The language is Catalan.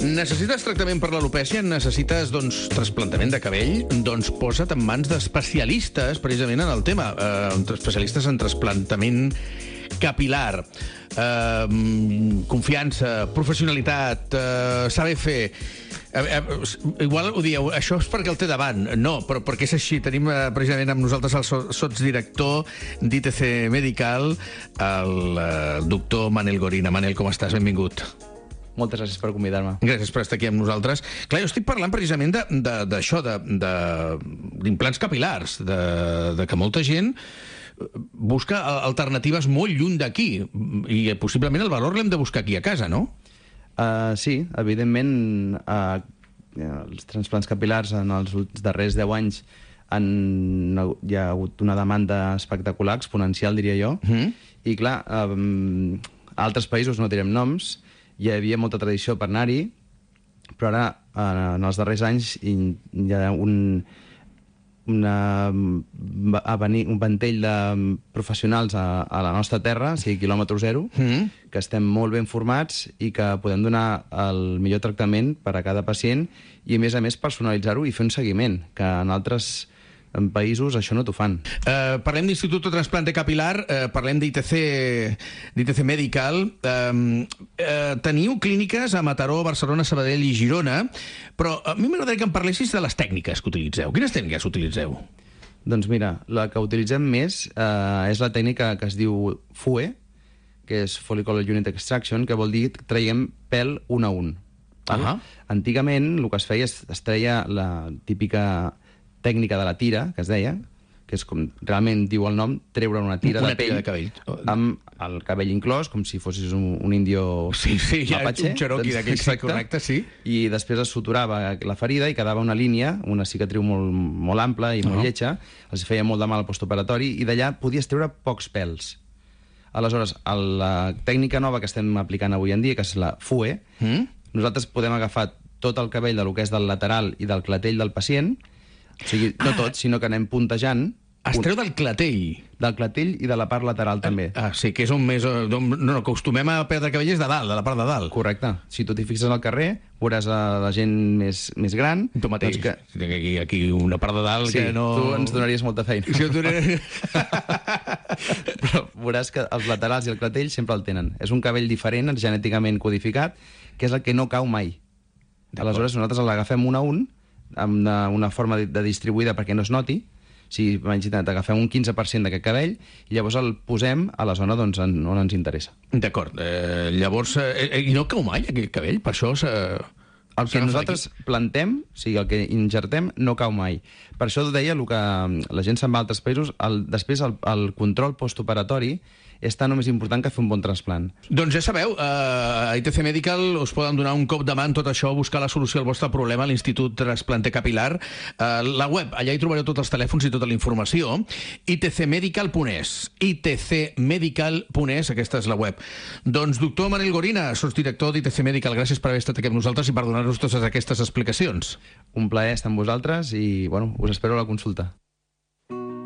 Necessites tractament per l'alopècia, necessites, trasplantament de cabell, posa't en mans d'especialistes, precisament, en el tema. Especialistes en trasplantament capilar. Confiança, professionalitat, saber fer. Igual ho dieu, això és perquè el té davant. No, però perquè és així. Tenim precisament amb nosaltres el sotsdirector d'ITC Medical, el doctor Manel Gorina. Manel, com estàs? Benvingut. Moltes gràcies per convidar-me. Gràcies per estar aquí amb nosaltres. Clar, jo estic parlant precisament d'això, d'implants capilars, de que molta gent busca alternatives molt lluny d'aquí, i possiblement el valor l'hem de buscar aquí a casa, no? Sí, evidentment, els trasplants capilars en els darrers 10 anys hi ha hagut una demanda espectacular, exponencial, diria jo, i clar, a altres països, no direm noms, hi havia molta tradició per anar-hi, però ara, en els darrers anys, hi ha un ventall de professionals a la nostra terra, o sigui, quilòmetre zero, que estem molt ben formats i que podem donar el millor tractament per a cada pacient i, a més, personalitzar-ho i fer un seguiment, que en altres països això no t'ho fan. Parlem d'Institut de Trasplante Capilar, parlem d'ITC Medical. Teniu clíniques a Mataró, Barcelona, Sabadell i Girona, però a mi m'agradaria que em parlessis de les tècniques que utilitzeu. Quines tècniques utilitzeu? Doncs mira, la que utilitzem més és la tècnica que es diu FUE, que és Follicular Unit Extraction, que vol dir que traiem pèl un a un. Antigament el que es feia es treia la típica tècnica de la tira, que es deia, que és com realment diu el nom, treure una tira de pell de cabell amb el cabell inclòs, com si fossis un índio mapache. Un cherokee d'aquells, correcte, sí. I després es suturava la ferida i quedava una línia, una cicatriu molt ampla i molt lletja, els feia molt de mal al postoperatori, i d'allà podies treure pocs pèls. Aleshores, la tècnica nova que estem aplicant avui en dia, que és la FUE, nosaltres podem agafar tot el cabell del que és del lateral i del clatell del pacient, o sigui, no tot, sinó que anem puntejant. Es treu del clatell. Del clatell i de la part lateral, també. Sí, que és on més... No, acostumem a perdre cabell és de dalt, de la part de dalt. Correcte. Si tu t'hi fixes al carrer, veuràs la gent més gran... Tu mateix. Aquí una part de dalt que no... Sí, tu ens donaries molta feina. Sí, Però veuràs que els laterals i el clatell sempre el tenen. És un cabell diferent, genèticament codificat, que és el que no cau mai. Aleshores, nosaltres l'agafem un a un, amb una forma de distribuïda perquè no es noti. Si imagina't, agafem un 15% d'aquest cabell i llavors el posem a la zona on ens interessa. D'acord. Llavors, i no cau mai aquell cabell? Per això el que nosaltres plantem, o sigui, el que injertem, no cau mai. Per això deia el que la gent se'n va a altres països, després el control postoperatori és tan o més important que fer un bon trasplant. Doncs ja sabeu, a ITC Medical us poden donar un cop de mà en tot això, buscar la solució al vostre problema a l'Institut Trasplante Capilar. La web, allà hi trobareu tots els telèfons i tota la informació. itcmedical.es. itcmedical.es, aquesta és la web. Doncs, doctor Manel Gorina, sotsdirector d'ITC Medical, gràcies per haver estat aquí amb nosaltres i per donar-nos totes aquestes explicacions. Un plaer estar amb vosaltres i, bueno, us espero a la consulta.